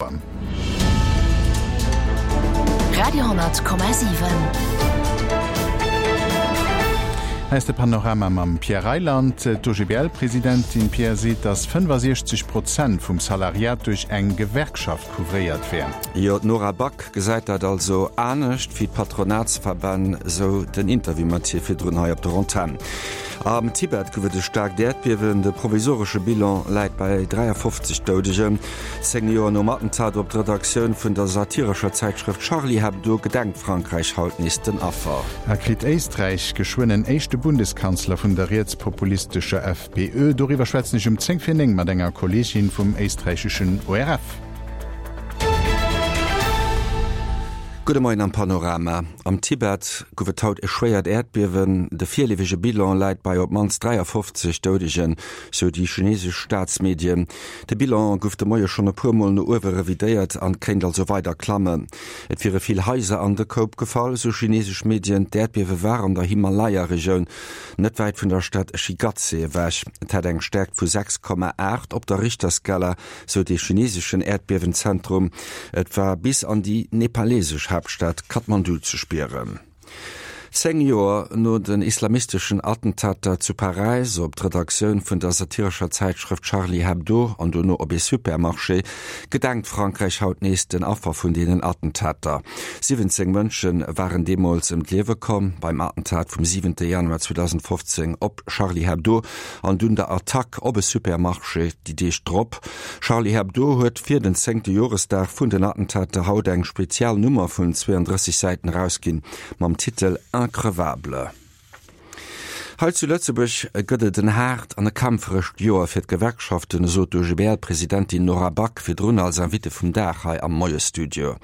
Radio,7. Hei ass de Panorama mam Pierre Reyland. D'OGBL-Presidentin Pierre seet, datt 65 Prozent vum Salariat duerch eng Gewerkschaft couvréiert wär. Jo, d'Nora Back gesäit dat also anescht wéi d'Patronatsverbänn, sou den Interview mat hir virdrun hei op der Antenn. Am Tibet gouf et e staarkt Äerdbiewen, de provisoresche Bilan läit bei 53 Doudegen. 10 Joer nom Attentat op d'Redaktioun vun der satirescher Zäitschrëft Charlie Hebdo gedenkt Frankräich haut nees den Affer. A kritt Éisträich geschwënn en éischte Bundeskanzler vun der rietspopulistescher FPÖ? Doriwwer schwätzen ech um 10 vir 9 mat enger Kolleegin vum éisträicheschen ORF. Gudde Moien am Panorama. Am Tibet gouf et haut e schwéiert Äerdbiewen. De virleefege Bilan läit bei op d'mannst 53 Doudegen, sou déi chinesesch Staatsmedien. De Bilan gouf de Moie schonn e puer Mol no uewe revidéiert an kéint also weider klammen. Et wiere vill Haiser an de Koup gefall, sou chinesesch Medien. D'Äerdbiewe war an der Himalaya-Regioun, net wäit vun der Stad Shigatse ewech. Et hat eng Stäerkt vu 6,8 op der Richterskala, sou de chineseschen Äerdbiewenzentrum. Et war bis an déi nepalesesch Haaptstad Kathmandu ze spieren. 10 Joer no den islamisteschen Attentater zu Paräis op d'Redaktioun vun der satirescher Zäitschrëft Charlie Hebdo an dono op ee Supermarché, gedenkt Frankräich haut nees den Affer vun deenen Attentater. 17 Mënsche waren deemools ëm d'Liewe komm beim Attentat vum 7 Januar 2015 op Charlie Hebdo an dunn der Attack op e Supermarché déi Deeg drop. Charlie Hebdo huet fir den zéngte Joresdag vun den Attentater haut eng spezial Nummer vun 32 Säiten erausginn mam Titel Increvable. Hei zu Lëtzebuerg gëtt et en haart an e kämpferescht Joer fir d'Gewerkschaften, esou d'OGBL-Presidentin Nora Back virdrun als Invitée vum Dag hei am Moiesstudio.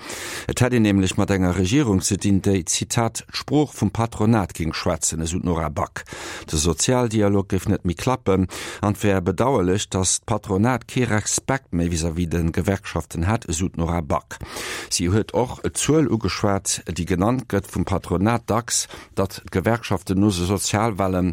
Et hätt een nämlech mat enger Regierung ze dinn, déi, Zitat, d'Sprooch vum Patronat géing schwätzen, esou d'Nora Back. De Sozialdialog géif net méi klappen an et wär bedauerlech, datt d'Patronat kee Respekt méi vis-à-vis de Gewerkschaften hätt, esou d'Nora Back. Si huet och d'Zuel ugeschwat, déi genannt gëtt vum Patronat dacks, datt d'Gewerkschaften no de Sozialwellen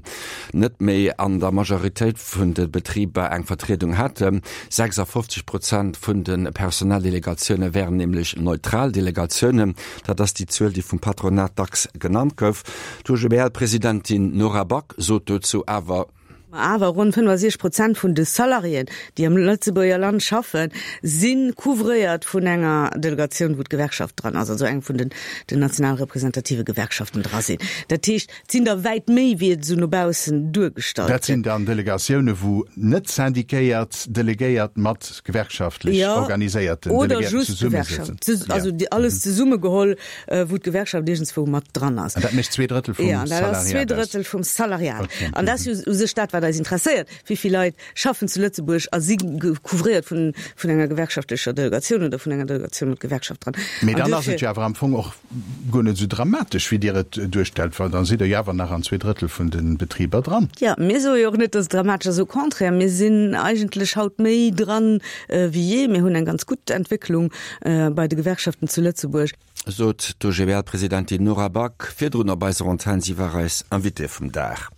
net méi an der Majoritéit vun de Betriber eng Vertriedung hätten. 56 Prozent vun de Personaldelegatioune wären nämlech neutral Delegatiounen. Dat ass déi Zuel, déi vum Patronat dacks genannt gouf. D'OGBL-Presidentin Nora Back sot dozou awer. Ma awer ronn 65 Prozent vun de Salariéen, déi am Lëtzebuerger Land schaffen, si couvréiert vun enger Delegatioun, wou d'Gewerkschaft dran ass, also eng vun den national representative Gewerkschaften dra sinn. Dat heescht, et sinn der wäit méi, wéi et esou no baussen duergestallt Dat sinn gëtt. dann Delegatioune wou net syndiquéiert Delegéiert mat gewerkschaftlech organiséierten Oder Delegéierten just zesummesëtzen. Gewerkschaft, also alles zesummegeholl. wou d'Gewerkschaft iergendswou mat dran ass. An dat mécht 2/3 vum Salariat aus. Ja, dat ass 2/3 vum Salariat. An dat ass jo u sech dat, wat eis interesséiert, Wéi vill Leit schaffen zu Lëtzebuerg a si couvréiert vun enger gewerkschaftlecher Delegatioun oder vun enger Delegatioun mat Gewerkschaft dran? Mee dann ass et jo awer am Fong och guer net esou dramatesch, wéi Dir et duerstellt, well da sidd Der jo awer nach an 2/3 vun de Betriber dran. Jo, mir soe jo och net, dass et dramatesch ass. Au contraire, mir sinn eigentlech haut méi dran wéi jee. Mir hunn eng ganz gutt Entwécklung bei de Gewerkschaften zu Lëtzebuerg. Sot d'OGBL-Presidentin Nora Back virdrun op eiser Antenn. Si war eis Invitée vum Dag.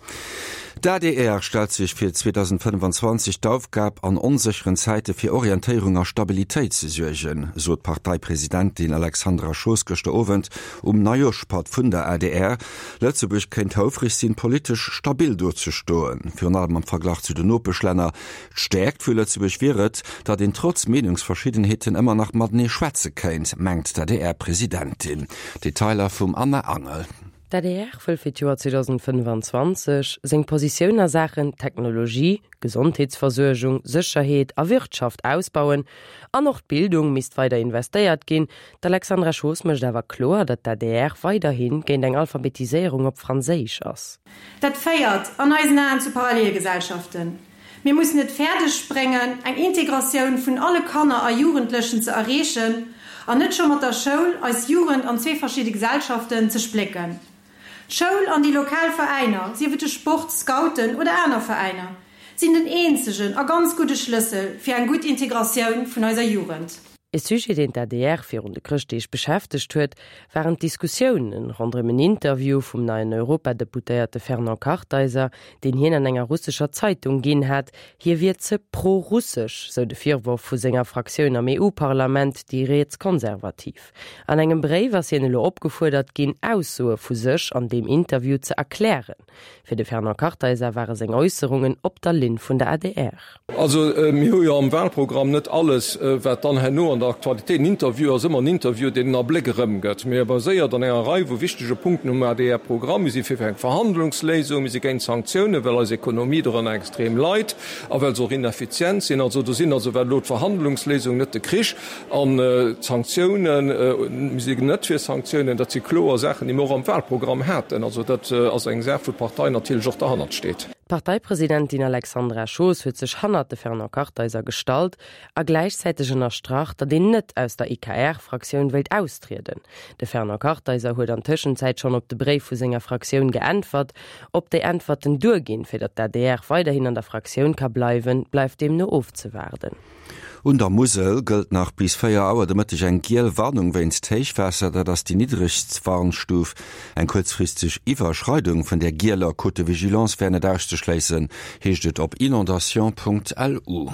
D'ADR stellt sech fir 2025 d'Aufgab, an onsécheren Zäite fir Orientéierung a Stabilitéit ze suergen, sot d'Parteipresidentin Alexandra Schoos gëschter Owend um Neijooschpatt vun der adr. Lëtzebuerg kéint houfreg sinn, politesch stabil do ze stoen, virun allem am Verglach zu den Nopeschlänner. D'Stäerkt vu Lëtzebuerg wier et, datt een trotz Meenungsverschiddenheeten ëmmer nach matenee schwätze kéint, mengt d'ADR-Presidentin. Detailer vum Anna Angel. D'ADR wëll fir d'Joer 2025 seng Positioun a Saachen Technologie, Gesondheetsversuergung, Sécherheet a Wirtschaft ausbauen an och d'Bildung misst weider investéiert ginn. D'Alexandra Schoos mécht awer kloer, datt d'ADR weiderhi géint eng Alphabetiséierung op Franséisch ass. Dat féiert an eisen Aen zu Parallelgesellschaften. Mir mussen et fäerdeg bréngen, eng Integratioun vun alle Kanner a Jugendlechen ze erreechen an net scho mat der Schoul eis Jugend an zwee verschidde Gesellschaften ze splécken. D'Schoul an déi lokal Veräiner, sief et de Sport, Scouten oder aner Veräiner, sinn den eenzegen a ganz gudde Schlëssel fir eng gutt Integratioun vun eiser Jugend. E Sujet, deen d'ADR virun de Chrëschtdeeg beschäftegt huet, waren d'Diskussiounen ronderëm en Interview vum neien Europadeputéierte Fernand Kartheiser, deen hien an enger russescher Zeitung ginn hat. Hie wier ze pro-russesch, sou de Virworf vu senger Fraktioun am EU-Parlament, déi Rietskonservativ. An engem Bréif ass hien elo opgefuerdert ginn, Aussoe vu sech an deem Interview ze erklären. Fir de Fernand Kartheiser ware seng Äusserungen op der Linn vun der adr. Also mir hu jo am Wahlprogramm net alles, wat dann herno an der Aktualitéit, en Interview ass ëmmer en Interview, deen en Abléck erëmgëtt, mee e baséiert an enger Rei vu wichtege Punkten um ADR-Programm. Mir si fir eng Verhandlungsléisung, mir si géint Sanktiounen, well eis Ekonomie dorënner extrem leit a well se och ineffizient sinn. Also do sinn also, wat elo d'Verhandlungsléisung, net de Krich, An d'Sanktiounen, mir sinn net fir Sanktiounen, dat si kloer Saachen, déi mir och am Wahlprogramm haten. Also dat ass eng Saach, wou d'Partei natierlech och derhannert steet. D'Parteipresidentin Alexandra Schoos huet sech hannert de Fernand Kartheiser gestallt a gläichzäiteg ënnerstrach, datt een net aus der EKR-Fraktioun wéilt austrieden. De Fernand Kartheiser huet an Tëschenzäit schonn op de Bréif vu senger Fraktioun geäntwert. Ob déi Äntwerten duerginn, fir datt d'ADR weiderhin an der Fraktioun ka bleiwen, bleift deemno ofzewaarden. Un der Musel gëllt nach bis 4 Auer de Mëtteg eng giel Warnung wéinst Héichwaasser. Dat ass déi niddregst Warnstuf. Eng kuerzfristeg Iwwerschreidung vun där gieler Cote de vigilance wär net auszeschléissen, heescht et op inondation.lu.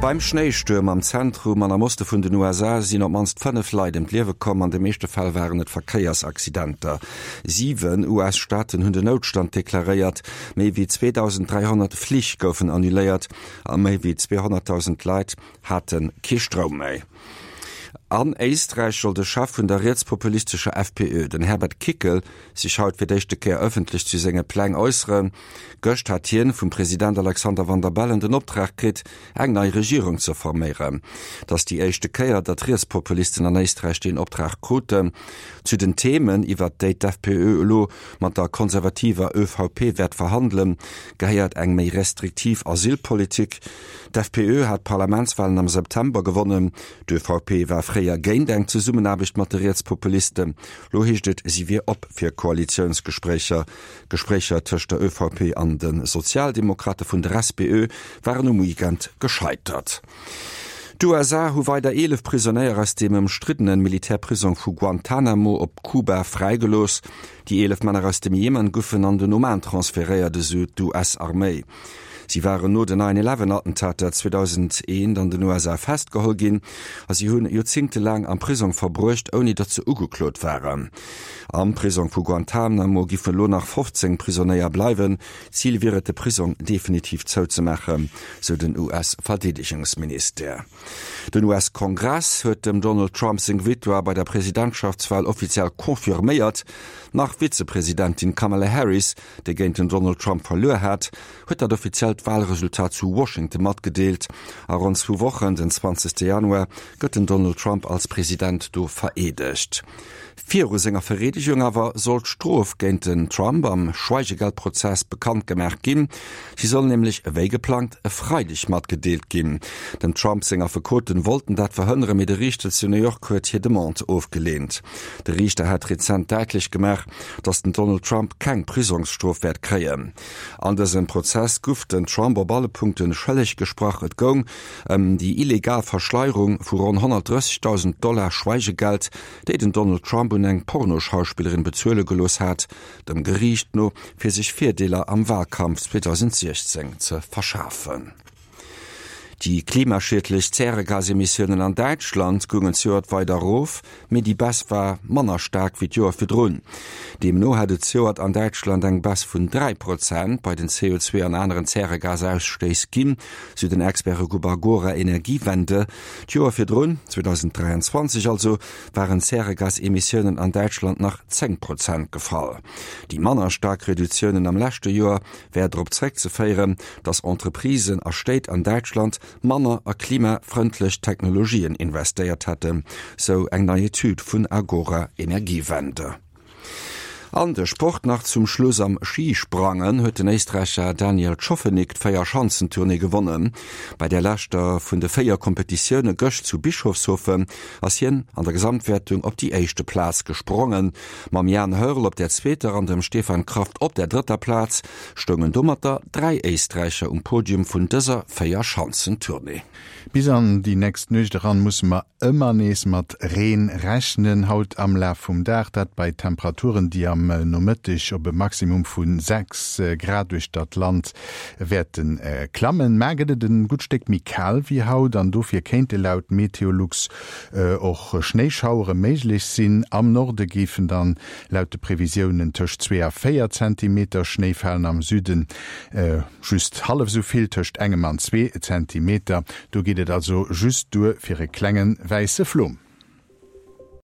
Beim Schnéistuerm am Zentrum an am Oste vun den USA sinn op d'mannst 5 Leit ëm d'Liewe komm. An de meeschte Fäll waren et Verkéiersaccidenter. 7 US-Staaten hunn den Noutstand deklaréiert. Méi wéi 2.300 Flich goufen annuléiert. A méi wéi 200.000 Leit hate kee Stroum méi. An Éisträich soll de Chef vun der rietspopulistescher FPÖ, den Herbert Kickl, sech haut fir d'éischte Kéier ëffentlech zu senge Pläng äusseren. Gëscht hat hien vum President Alexander Van der Bellen den Optrag kritt, eng nei Regierung ze forméieren. Et ass déi éischte Kéier, datt Rietspopulisten an Éisträich deen Optrag kruten. Zu den Themen, iwwert déi d'FPÖ elo mat der konservativer ÖVP wäert verhandelen, gehéiert eng méi restriktiv Asylpolitik. D'FPÖ hat d'Parlamentswalen am September gewonnen. D'ÖVP war fréier géint eng Zesummenaarbecht mat de Rietspopulisten. Lo heescht et, si wier op fir Koalitiounsgespréicher. Gespréicher tëscht der ÖVP an de Sozialdemokrate vun der SPÖ waren um Weekend gescheitert. D'USA hu weider 11 Prisonéier aus dem ëmstriddene Militärprisong vu Guantanamo op Kuba fräigelooss. Déi 11 Männer aus dem Jemen goufen an den Oman transferéiert, esou d'US-Arméi. Si waren no den Nine Eleven Attentater 2001 an den USA festgeholl ginn a si hunn joerzéngtelaang am Prisong verbruecht, ouni datt se ugeklot waren. Am Prisong vu Guantanamo giffen elo nach 15 Prisonéier bleiwen. Zil wier et, de Prisong definitiv zouzemaachen, sou den US-Verdeedegungsministère. Den US-Kongress huet dem Donald Trump seng Victoire bei der Presidentschaftswal offiziell confirméiert. Nach-Vizepresidentin Kamala Harris, déi géint den Donald Trump verluer hat, huet dat offiziellt Walresultat zu Washington matgedeelt. A ronn zwou Wochen, den 20 Januar, gëtt den Donald Trump als President do vereedegt. Viru senger Vereedegung awer soll d'Strof géint den Trump am Schweigegeldprozess bekannt gemaach ginn. Si soll nämlech ewéi geplangt e Freideg matgedeelt ginn. Dem Trump seng Affekoten wollten dat verhënneren, mee de Riichter zu New York huet hir Demande ofgeleent. De Riichter hat rezent däitlech gemaach, datt den Donald Trump keng Prisongsstrof wäert kréien. An dësem Prozess guff den Trump op alle Punkte schëlleg gesprach. Et goung ëm déi illegal Verschleierung vu ronn 130.000 Dollar Schweigegeld, déi den Donald Trump un eng Pornoschauspillerin bezuele gelooss hat, dem Geriicht no, fir sech Virdeeler am Walkampf 2016 ze verschafen. Déi klimaschiedlech Zäregasemissiounen an Däitschland goungen zejoert weider erof, mee déi Baisse war manner staark wéi d'Joer virdrun. Deemno hat et zejoert an Däitschland eng Baisse vun 3 Prozent bei den CO2 an aneren Zäregasausstéiss ginn, sou den Expertegrupp Agora Energiewende. D'Joer virdrun, 2023 also, waren d'Zäregasemissiounen an Däitschland nach 10 Prozent gefall. Déi manner staark Reduktiounen am leschte Joer wär drop zeréckzeféieren, datt Entreprisen a Stéit an Däitschland manner a klimafrëndlech Technologien investéiert hätten, sou eng nei Etüd vun Agora Energiewende. An de Sport nach zum Schluss, Am Schisprangen huet den Éisträicher Daniel Tschofenig d'Véierschanzentournée gewonnen. Bei der leschter vun de 4 Kompetitioune gëscht zu Bischofshofen ass hien an der Gesamtwäertung op déi éischte Plaz gesprongen. Mam Jan Hörl op der zweeter an dem Stefan Kraft op der drëtter Plaz stoungen domatter 3 Éisträicher um Podium vun dëser Véierschanzentournée. Bis an déi nächst Nuecht eran musse mer ëmmer nees mat Reen rechnen, haut am Laf vum Dag, dat bei Temperaturen, déi am Nomëtteg op e Maximum vu 6 Grad uechter d'Land wäerte klammen. Mar gëtt et e gutt Stéck méi kal wéi haut an dofir kéinte laut Meteolux och Schnéischauere méiglech sinn. Am Norde géifen dann laut de Previsiounen tëscht 2 a 4 Zentimeter Schnéi falen, am Süden Just hallef esou vill, tëscht engem an zwee Zentimeter. Do geet et also just duer fir e klenge wäisse Flom.